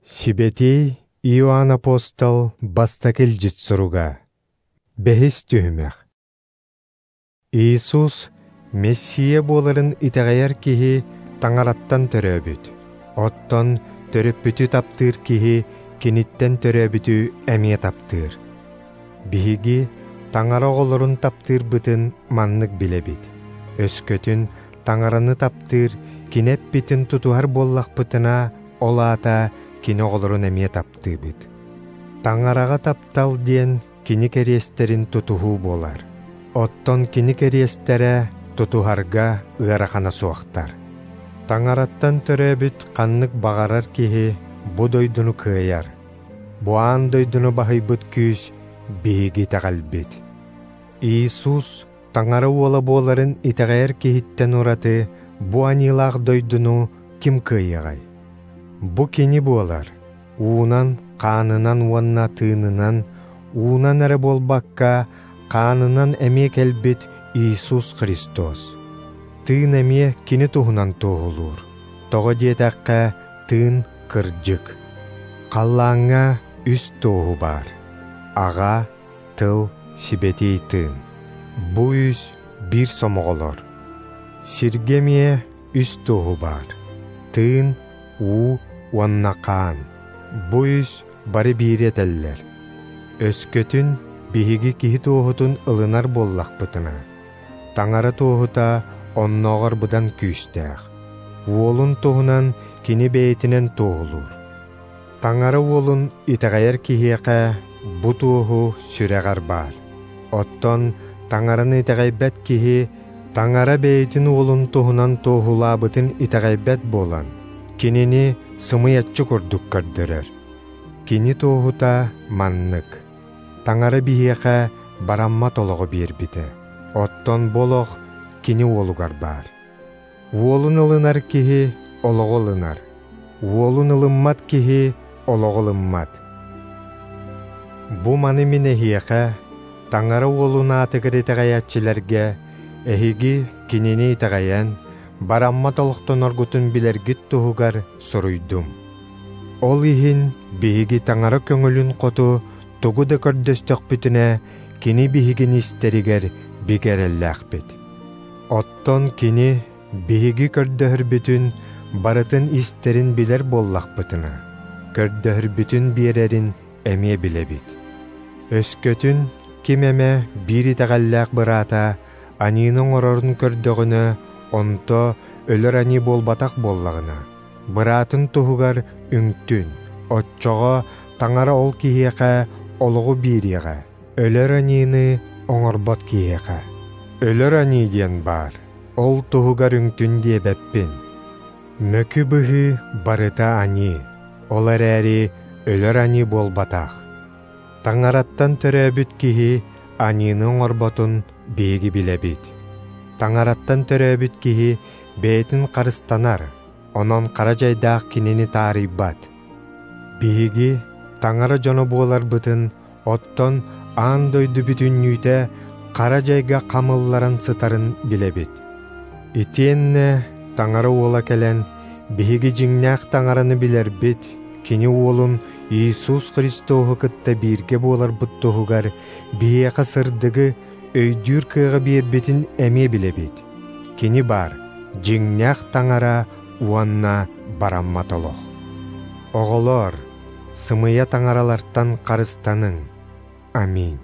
Сибэтиэй Иоанн Апостол бастакы илдьит суруга. Бэһис түһүмэх. Иисус Мессия буоларын итэҕэйэр киһи Таҥараттан төрөөбүт. Оттон төрөппүтү таптыыр киһи киниттэн төрөөбүтү эмиэ таптыыр. Биһиги Таҥара оҕолорун таптыырбытын маннык билэбит. Өскөтүн Таҥараны таптыыр, кини эппитин тутуһар буоллахпытына, ол аата кини оҕолорун эмиэ таптыыбыт. Таҥараҕа таптал диэн кини кэриэстэрин тутуһуу буолар. Оттон кини кэриэстэрэ тутуһарга ыарахана суохтар. Таҥараттан төрөөбүт ханнык баҕарар киһи бу дойдуну кыайар. Бу аан дойдуну баһыйбыт күүс биһиги итэҕэлбит. Иисус Таҥара уола буоларын итэҕэйэр киһиттэн ураты бу аньыылаах дойдуну ким кыайыаҕай? Бу кини буолар, уунан, хаанынан уонна тыынынан, уунан эрэ буолбакка, хаанынан эмиэ кэлбит Иисус Христос. Тыын эмиэ кини туһунан туоһулуур. Тоҕо диэтэххэ, тыын кырдьык. Халлааҥҥа үс туоһу баар: Аҕа, Тыл, Сибэтиэй Тыын. Бу үс биир сомоҕолор. Сиргэ эмиэ үс туоһу баар: Тыын, уу уонна хаан. Бу үс бары биири этэллэр. Өскөтүн биһиги киһи туоһутун ылынар буоллахпытына, Таҥара туоһута оннооҕор быдан күүстээх. Уолун туһунан кини бэйэтинэн туоһулуур. Таҥара уолун итэҕэйэр киһиэхэ бу туоһу сүрэҕэр баар. Оттон Таҥараны итэҕэйбэт киһи Таҥара бэйэтин уолун туһунан туоһулаабытын итэҕэйбэт буолан, кинини сымыйаччы курдук көрдөрөр. Кини туоһута маннык: Таҥара биһиэхэ бараммат олоҕу биэрбитэ, оттон бу олох кини уолугар баар. Уолун ылынар киһи олоҕу ылынар, уолун ылыммат киһи олоҕу ылыммат. Бу маны мин эһиэхэ, Таҥара уолун аатыгар итэҕэйээччилэргэ, эһиги кинини итэҕэйэн, бараммат олохтоноргутун билэргит туһугар суруйдум. Ол иһин биһиги Таҥара көҥүлүн хоту тугу да көрдөстөхпүтүнэ, кини биһигини истэригэр бигэ эрэллээхпит. Оттон кини биһиги көрдөһөрбүтүн барытын истэрин билэр буоллахпытына, көрдөһөрбүтүн биэрэрин эмиэ билэбит. Өскөтүн ким эмэ биир итэҕэллээх быраата аньыыны оҥорорун көрдөҕүнэ, онто өлөр аньыы буолбатах буоллаҕына, быраатын туһугар үҥтүн, оччоҕо Таҥара ол киһиэхэ олоҕу биэриэҕэ, өлөр аньыыны оҥорбот киһиэхэ. Өлөр аньыы диэн баар, ол туһугар үҥтүн диэбэппин. Мөкү быһыы барыта аньыы, ол эрээри өлөр аньыы буолбатах. Таҥараттан төрөөбүт киһи аньыыны оҥорботун биһиги билэбит. Таҥараттан төрөөбүт киһи бэйэтин харыстанар, онон хара дьайдаах кинини таарыйбат. Биһиги Таҥара дьоно буоларбытын, оттон аан дойду бүтүннүүтэ хара дьайга хамылларан сытарын билэбит. Итиэннэ Таҥара уола кэлэн, биһиги дьиҥнээх Таҥараны билэрбит, кини уолун Иисус Христоһу кытта бииргэ буоларбыт туһугар биһиэхэ сырдыгы өйдүүр кыаҕы биэрбитин эмиэ билэбит. Кини баар, дьиҥнээх Таҥара уонна бараммат олох. Оҕолоор, сымыйа таҥаралартан харыстаныҥ. Аминь.